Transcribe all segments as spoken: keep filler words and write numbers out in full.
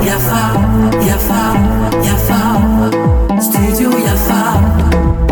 Yafa, yafa, yafa, studio Yafa.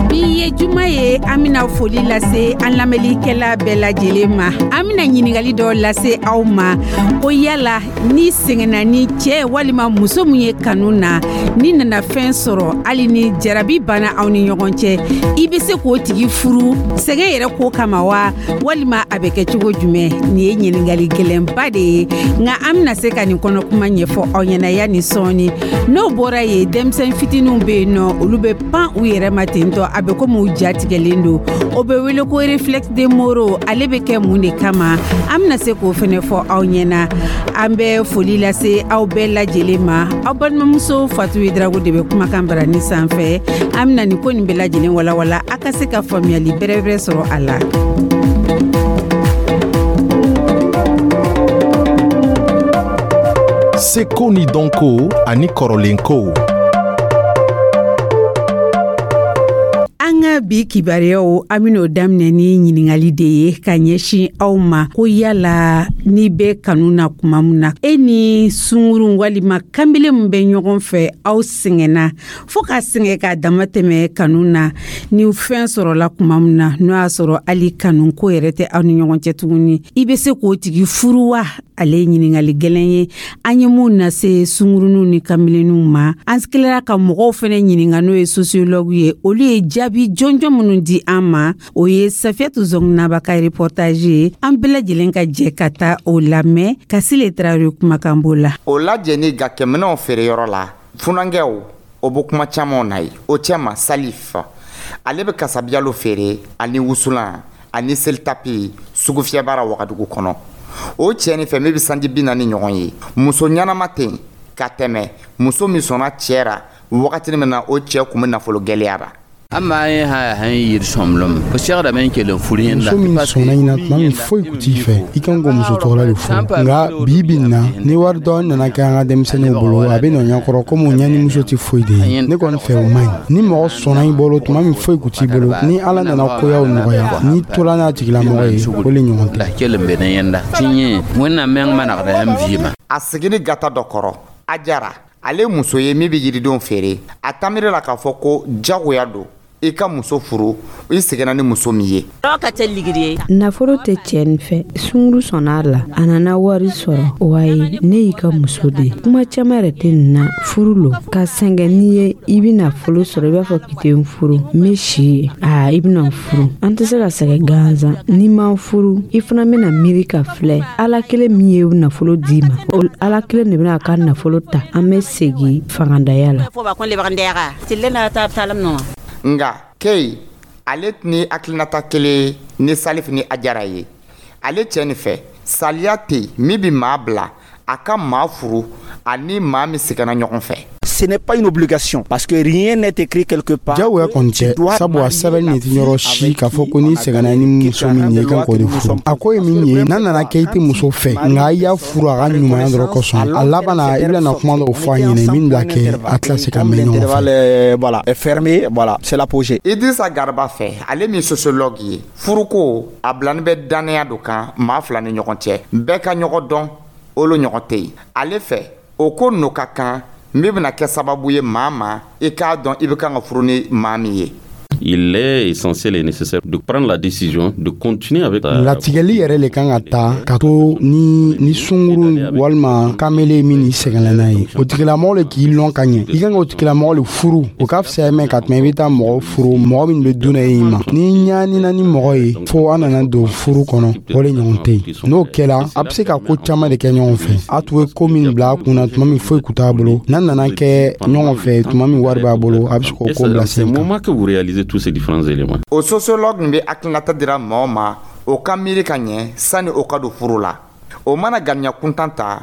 Bi ye juma ye, an bena foli lase an lamɛnlikɛla bɛɛ lajɛlen ma. An bena ɲiningali dɔ lase aw ma ko yala ni sɛgɛnna ni cɛɛ walima muso min ye kanu na, ni nana fɛn sɔrɔ, hali ni jarabi banna aw ni ɲɔgɔn cɛ, i be se k'o tigi furu sɛgɛn yɛrɛ ko kama wa, walima a bɛ kɛ cogo jumɛn? Nin ye ɲiningali gɛlɛnba de ye, nka an bena se ka nin kɔnɔkuma ɲɛfɔ aw ɲɛna yani sɔɔni. N'o bɔra ye, denmisɛn fitininw be yen nɔ, olu bɛ pan u yɛrɛ ma ten tɔ, a bɛ komi u ja tigɛlen don. O bɛ wele ko réflexe de Moro. Ale bɛ kɛ mun de kama? An bena se k'o fɛnɛ fɔ aw ɲɛna. An bɛ foli lase aw bɛɛ lajɛlen ma. Aw balimamuso Fatu Drago de bɛ kumakan barani sanfɛ. An bena nin ko nin bɛɛ lajɛlen walawala a ka se ka faamuyali bɛrɛbɛrɛ sɔrɔ a la. Seko ni dɔnko ani kɔrɔlenkow. An ka bi kibaruyaw, an ben'o daminɛ ni ɲiningali de ye ka ɲɛsin aw ma ko yala n'i bɛ kanu na kuma min na, e ni sungurun walima kanbele min bɛ ɲɔgɔn fɛ, aw sɛgɛnna fɔɔ ka sɛgɛn k'a dama tɛmɛ kanu na, ni fɛn sɔrɔla kuma min na, n'o y'a sɔrɔ hali kanu ko yɛrɛ tɛ aw ni ɲɔgɔn cɛ tuguni, i bɛ se k'o tigi furu wa? Ale ye ɲiningali gɛlɛn ye an ye mun lase sungurunw ni kanbilenninw ma. An tilara ka mɔgɔw fɛnɛ ɲininka, n'o ye sociologue ye, olu ye jaabi jɔnjɔn minnu di an ma. O ye Safiyatu Zɔnginaba ka reportage ye. An bɛɛ lajɛlen ka jɛ ka taa o lamɛn. Kasile Tarawele kumakan b'o la. O lajɛni gakɛminɛw feereyɔrɔ la, funankɛw o bɛ kuma camanw na ye o cɛma. Salif, ale bɛ kasabiyalo feere ani wusulan ani selitapi sugufiyɛbara Wagadugu kɔnɔ. O cɛ nin fɛ min bɛ sanji bi naani ɲɔgɔn ye, muso ɲɛnama tɛ yen ka tɛmɛ muso min sɔnna cɛ ra wagati min na o cɛ kun bɛ nafolo gɛlɛya ra. Muso min sɔnna ɲina tuma min foyi kun t'i fɛ, i kan k'o muso tɔgɔla de furu. Nka bi bi in na, ni wari dɔɔni nana kɛ an ka denmisɛnninw bolo, a bɛ nɔ ɲɛkɔrɔ komi ɲɛ ni muso tɛ foyi de ye. Ne kɔni fɛ, o man ɲi. Ni mɔgɔ sɔnna i bolo tuma min foyi kun t'i bolo, ni Ala nana koyaw nɔgɔya, n'i tola n'a tigilamɔgɔ ye, o le ɲɔgɔn tɛ. A seginni gata dɔ kɔrɔ, a jara ale muso ye min bɛ yiridenw feere, a taamiri la k'a fɔ ko jagoya don i ka muso furu i seginna ni muso min ye. Nafolo tɛ cɛ nin fɛ, sunguru sɔnna a la, a nana wari sɔrɔ. Wayi, ne y'i ka muso de ye. Kuma caman yɛrɛ tɛ nin na, furu lo ka sɛgɛn. N'i ye i bɛ nafolo sɔrɔ, i b'a fɔ k'i tɛ n furu, n bɛ si ye, aa i bɛna n furu. An tɛ se ka sɛgɛn gansan. N'i ma n furu, i fana bɛna miiri ka filɛ. Ala kelen min ye nafolo d'i ma, o Ala kelen de bɛna a ka nafolo ta. An bɛ segin fangandaya la. Nka Kei, ale ni hakilinata kelen ni Salif ni Ajara ye. Ale cɛ nin fɛ, saliya tɛ yen min bɛ maa bila a ka maa furu ani maa min seginna ɲɔgɔn fɛ. Ce n'est pas une obligation parce que rien n'est écrit quelque part. Jagoya kɔni tɛ, sabu a sɛbɛnni nin tɛ yɔrɔ si k'a fɔ ko n'i sɛgɛnna ni muso min ye, i kan k'o de furu. A ko ye min ye, n'a nana kɛ i tɛ muso fɛ, nka i y'a furu a ka ɲumanya dɔrɔn kosɔn, a laban na i bɛna kuma dɔw fɔ a ɲɛna min b'a kɛ a tila se ka mɛn ɲɔgɔn fɛ. Voilà, est fermé, voilà, c'est l'apogée. Idrissa Garba fɛ, ale min sociologue ye, furuko a bilani bɛ dannaya do kan maa fila ni ɲɔgɔn cɛ, bɛɛ ka ɲɔgɔn dɔn, olu ɲɔgɔn tɛ yen. Ale fɛ, o ko n'o ka kan min bɛna kɛ sababu ye maa ma i k'a dɔn i bɛ kan ka furu ni maa min ye. Il est essentiel et nécessaire de prendre la décision de continuer avec la... Latigɛli yɛrɛ le kan ka ta ka to ni ni sunguru walima kamele min ni sɛgɛnna n'a ye, o tigilamɔgɔ le k'i lɔn ka ɲɛ, i kan k'o tigilamɔgɔ le furu. O ka fisaya mɛn ka tɛmɛ i bɛ taa mɔgɔ furu, mɔgɔ min bɛ dun e ma. Ni ɲaanina ni mɔgɔ ye fo an nana don furu kɔnɔ, o le ɲɔgɔn tɛ yen. N'o kɛla, a bɛ se ka ko caman de kɛ ɲɔgɔn fɛ. A tun ye ko min bila a kunna tuma min foyi kun t'a bolo, n'a nana kɛ ɲɔgɔn fɛ tuma min wari b'a bolo, a bɛ se k'o ko bila sen kan. Moment que vous réalisez tous ces différents éléments. O sociologue nin bɛ hakilinata dira mɔgɔ ma, o ka miiri ka ɲɛ sani o ka don furu la. O mana ganiya kuntan ta,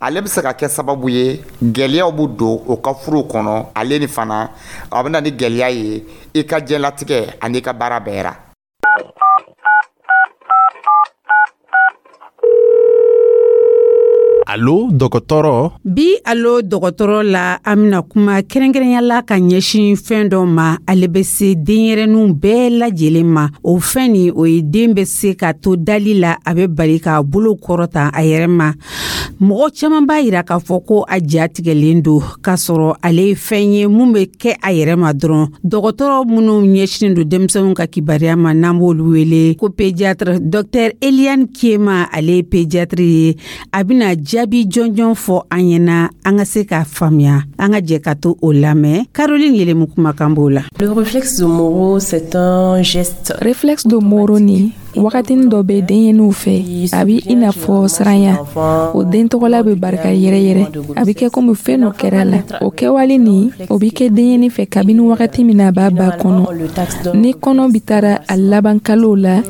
ale bɛ se ka kɛ sababu ye gɛlɛyaw bɛ don o ka furu kɔnɔ. Ale ni fana a bɛ na ni gɛlɛya ye i ka diɲɛlatigɛ ani i ka baara bɛɛ ra. Alo dɔgɔtɔrɔ. Bi Alo dɔgɔtɔrɔ la, an bɛna kuma kɛrɛnkɛrɛnya la ka ɲɛsin fɛn dɔ ma, ale bɛ se denyɛrɛninw bɛɛ lajɛlen ma. O fɛn nin, o ye den bɛ se ka to dali la, a bɛ bali k'a bolo kɔrɔta a yɛrɛ ma. Mɔgɔ caman b'a yira k'a fɔ ko a ja tigɛlen don, k'a sɔrɔ ale ye fɛn ye mun bɛ kɛ a yɛrɛ ma dɔrɔn. Dɔgɔtɔrɔ minnu ɲɛsinnen don denmisɛnninw ka kibaruya ma, n'an b'olu wele ko pédiatre, docteur Eliane Kiema, ale ye pédiatre ye, a bɛna jaabi jɔnjɔn fɔ an ɲɛna an ka se k'a faamuya. An ka jɛ ka to o lamɛn. Caroline Yelemu kumakan b'o la. Le réflexe de Moro, c'est un geste. Réflexe de Moro ni wagatinin dɔ bɛ denyɛninw fɛ, a bɛ i n'a fɔ siranya. O den tɔgɔla bɛ barika yɛrɛ yɛrɛ, a bɛ kɛ komi fɛn dɔ kɛra la. O kɛwale nin, o bɛ kɛ denyɛnin fɛ kabini wagati min na a b'a ba kɔnɔ. Ni kɔnɔ bi taara a laban kalow la,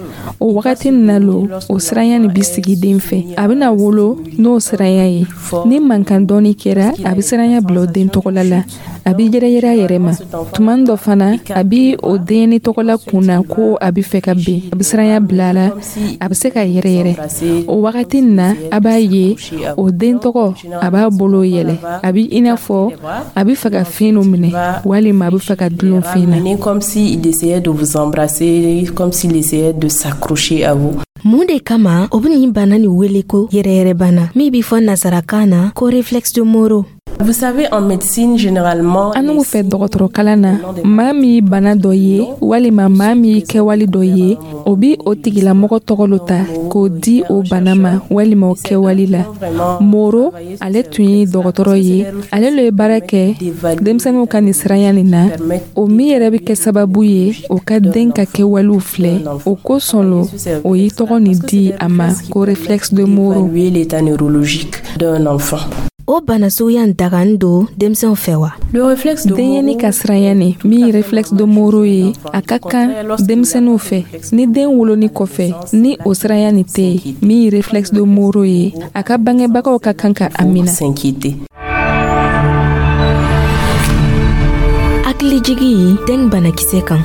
o wagati nin na lo o siranya nin bi sigi den fɛ. A bɛna wolo n'o siranya ye. Ni mankan dɔɔni kɛra, a bɛ siranya bila o den tɔgɔla la, a bɛ yɛrɛyɛrɛ a yɛrɛ ma. Tuma dɔ fana, a bɛ o denyɛnin tɔgɔla kun na ko a bɛ fɛ ka ben, a bɛ siranya bila a la, a bɛ se ka yɛrɛyɛrɛ. O wagati nin na, a b'a ye o den tɔgɔ a b'a bolo yɛlɛ, a bɛ i n'a fɔ a bɛ fɛ ka fɛn dɔ minɛ walima a bɛ fɛ ka dulon fɛn na. Comme s'il essayait de vous embrasser, comme s'il essayait de s'accrocher à vous. Mun de kama o be nin bana nin wele ko yɛrɛyɛrɛbana min b'i fɔ nasarakan na ko réflexe de Moro? Vous savez, en médecine, généralement, An n'u fɛ dɔgɔtɔrɔkalan na, maa min ye bana dɔ ye walima maa min ye kɛwale dɔ ye, o bi o tigilamɔgɔ tɔgɔ lo ta k'o di o bana ma walima o kɛwale la. Moro, ale tun ye dɔgɔtɔrɔ ye, ale lo ye baara kɛ denmisɛnninw ka nin siranya nin na, o min yɛrɛ bɛ kɛ sababu ye o ka den ka kɛwalew filɛ. O kosɔn lo o ye tɔgɔ nin di a ma ko réflexe de Moro. L'état neurologique d'un enfant. O bana suguya in dagani don denmisɛnw fɛ wa? Le réflexe de Denyɛni ka siranya nin min ye réflexe de Moro ye, a ka kan denmisɛnninw fɛ. Ni den woloni kɔfɛ, ni o siranya nin tɛ yen min ye réflexe de Moro ye, a ka bangebagaw ka kan ka a minɛ. S'inquiéter. Hakilijigi dengue banakisɛ kan.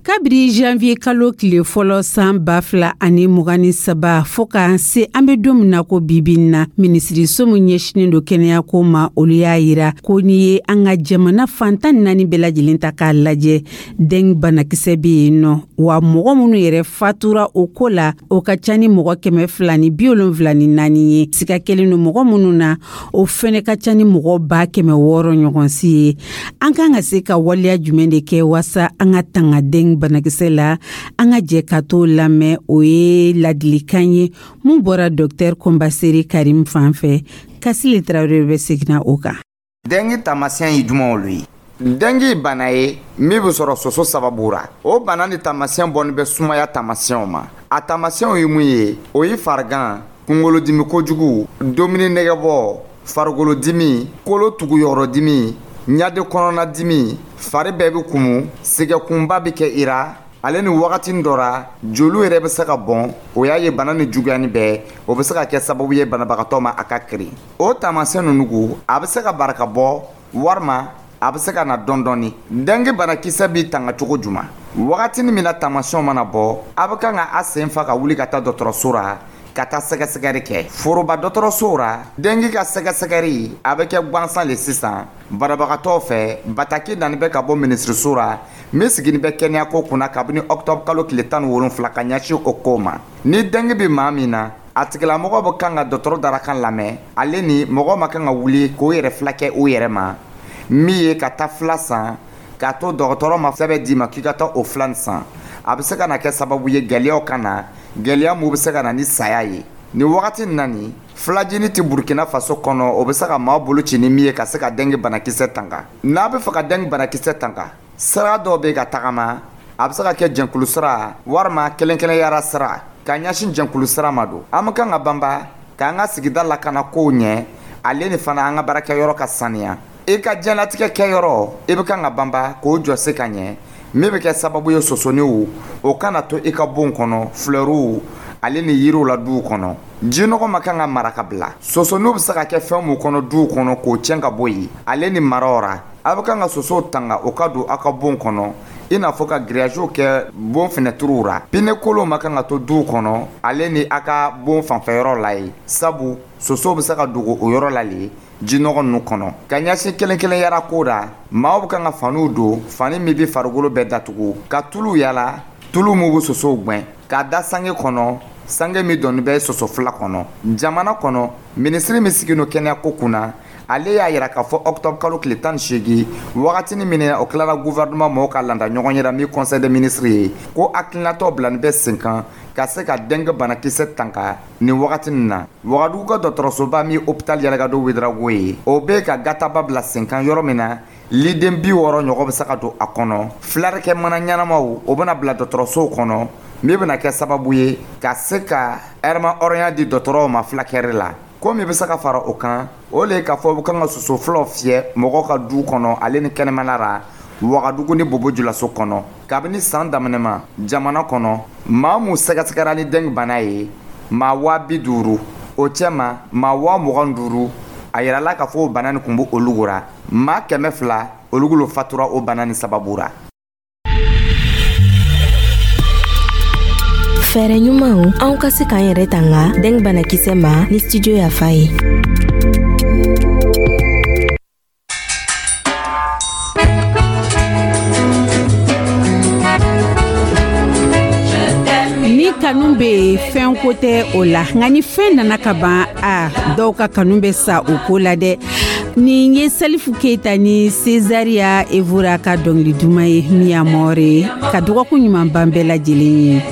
Kabiri janvier kalo tile fɔlɔ san ba fila ani mugan ni saba fɔɔ ka se an be don min na ko bibi na, minisiriso min ɲɛsinen do kɛnɛyako ma, olu y'a yira ko n'i ye an ka jamana fantan naani bɛɛ lajɛlen ta k'a lajɛ, dengue banakisɛ be yen nɔ, wa mɔgɔ minnu yɛrɛ fatura o ko la, o ka ca ni mɔgɔ kɛmɛ fila ni bi wolonfila ni naani ye. Siga kelen don mɔgɔ minnu na, o fɛnɛ ka ca ni mɔgɔ ba kɛmɛ wɔɔrɔ ɲɔgɔn si ye. An kan ka se ka waleya jumɛn de kɛ waasa an ka tanga dengue banakisɛ la? An ka jɛ ka t'o lamɛn. O ye ladilikan ye mun bɔra dɔktɛr Kɔnbasere Karim fan fɛ. Kasile Tarawele bɛ seginna o kan. Dengue taamasiyɛn ye jumɛnw olu ye? Dengue bana ye min bɛ sɔrɔ soso sababu ra. O bana ni taamasiyɛn bɔnni bɛ sumaya taamasiyɛnw ma. A taamasiyɛnw ye mun ye? O ye farigan, kunkolodimi kojugu, dumuni nɛgɛbɔ, farikolodimi, kolo tuguyɔrɔdimi, ɲade kɔnɔnadimi, fari bɛɛ bɛ kumu, sɛgɛkunba bɛ kɛ i ra. Ale ni wagati dɔ ra, joliw yɛrɛ bɛ se ka bɔn. O y'a ye bana ni juguyani bɛɛ, o bɛ se ka kɛ sababu ye banabagatɔ ma a ka kirin. O taamasiyɛn ninnu ko, a bɛ se ka barika bɔ walima a bɛ se ka na dɔɔni dɔɔni. Dengue banakisɛ b'i tanga cogo jumɛn? Wagatinin min na taamasiyɛnw mana bɔ, a bɛ kan ka a sen fa ka wuli ka taa dɔgɔtɔrɔso ra ka taa sɛgɛsɛgɛli kɛ. Foroba dɔgɔtɔrɔsow ra, dengue ka sɛgɛsɛgɛli a bɛ kɛ gansan le sisan banabagatɔw fɛ. Bataki nani bɛ ka bɔ minisiriso ra min sigini bɛ kɛnɛyako kunna kabini octobre kalo tile tan ni wolonfila ka ɲɛsin o ko ma. Ni dengue bɛ maa min na, a tigilamɔgɔ bɛ kan ka dɔgɔtɔrɔ darakan lamɛn. Ale ni mɔgɔ ma kan ka wuli k'o yɛrɛ fila kɛ o yɛrɛ ma, min ye ka taa fila san k'a to dɔgɔtɔrɔ ma sɛbɛn d'i ma k'i ka taa o fila nin san. A bɛ se ka na kɛ sababu ye gɛlɛyaw ka na, gɛlɛya mun bɛ se ka na ni saya ye. Nin wagati in na nin, filajini tɛ Burkina Faso kɔnɔ, o bɛ se ka maa bolo ci ni min ye ka se ka dengue banakisɛ tanga. N'a bɛ fɛ ka dengue banakisɛ tanga, sira dɔw bɛ ka tagama, a bɛ se ka kɛ jɛnkulu sira walima kelen-kelenyara sira. Ka ɲɛsin jɛnkulu sira ma don, an bɛ kan ka banba k'an ka sigida lakana kow ɲɛ, ale ni fana an ka baarakɛyɔrɔ ka saniya. I ka diɲɛlatigɛ kɛyɔrɔ, i bɛ kan ka banba k'o jɔ se ka ɲɛ, min bɛ kɛ sababu ye sosoniw o kana to i ka bon kɔnɔ, filɛruw ale ni yiriw la duw kɔnɔ. Jinɔgɔ ma kan ka mara ka bila. Sosoniw bɛ se ka kɛ fɛn mun kɔnɔ duw kɔnɔ k'o tiɲɛ ka bɔ yen, ale ni maraw ra. A bɛ kan ka sosow tanga o ka don aw ka bon kɔnɔ I n'a fɔ ka giriyaziw kɛ bon fenɛtiriw ra. Pine kolonw ma kan ka to duw kɔnɔ ale ni a ka bon fanfɛyɔrɔ la ye, sabu sosow bɛ se ka dogo o yɔrɔ la le jinɔgɔ ninnu kɔnɔ. Ka ɲɛsin kelen kelen yara ko ra, maaw bɛ kan ka faniw don, fani min bɛ farikolo bɛɛ datugu, ka tulu yala, tulu min bɛ sosow gwɛn, k'a da sange kɔnɔ, sange min dɔnni bɛ soso fila kɔnɔ. Jamana kɔnɔ, minisiri min sigin don kɛnɛyako kunna, ale y'a yira k'a fɔ octobre kalo tile tan ni seegin, wagatini min o tilara gouvernement mɔgɔw ka landa ɲɔgɔn yɛrɛ min conseil des ministres ye, ko hakilinatɔ bilani bɛ sen kan ka se ka dengue banakisɛ tanka nin wagati nin na. Wagadugu ka dɔgɔtɔrɔsoba min hôpital Yalagado Ouédraogo ye, o bɛ ka gataba bila sen kan yɔrɔ min na liden bi wɔɔrɔ ɲɔgɔn bɛ se ka don a kɔnɔ. Filarikɛ mana ɲɛnamaw, o bɛna bila dɔgɔtɔrɔsow kɔnɔ, min bɛna kɛ sababu ye ka se ka ɛrɛma hɔrɔnya di dɔgɔtɔrɔw ma fulakɛri la. Ko min bɛ se ka fara o kan, o le ye k'a fɔ u kan ka soso fulaw fiyɛ mɔgɔw ka du kɔnɔ ale ni kɛnɛmana ra Wagadugu ni Bobo Julaso kɔnɔ. Kabini san daminɛ ma, jamana kɔnɔ, maa mun sɛgɛsɛgɛra ni dengue bana ye, maa waa bi duuru, o cɛ ma maa waa mugan duuru, a yirala k'a fɔ o bana nin kun bɛ olu ra. Maa kɛmɛ fila, olu lo fatura o bana nin sababu ra. Fɛɛrɛ ɲumanw anw ka se k'an yɛrɛ tanga dengue banakisɛ ma ni Studio Yafa ye. Ni kanu bɛ yen, fɛn ko tɛ o la, nka ni fɛn nana ka ban, a dɔw ka kanu bɛ sa o ko la dɛ. Nin ye Salifu Keyita ni Cesaria Evora ka dɔnkili duman ye, Mi amor. Ka dɔgɔkun ɲuman ban bɛɛ lajɛlen ye.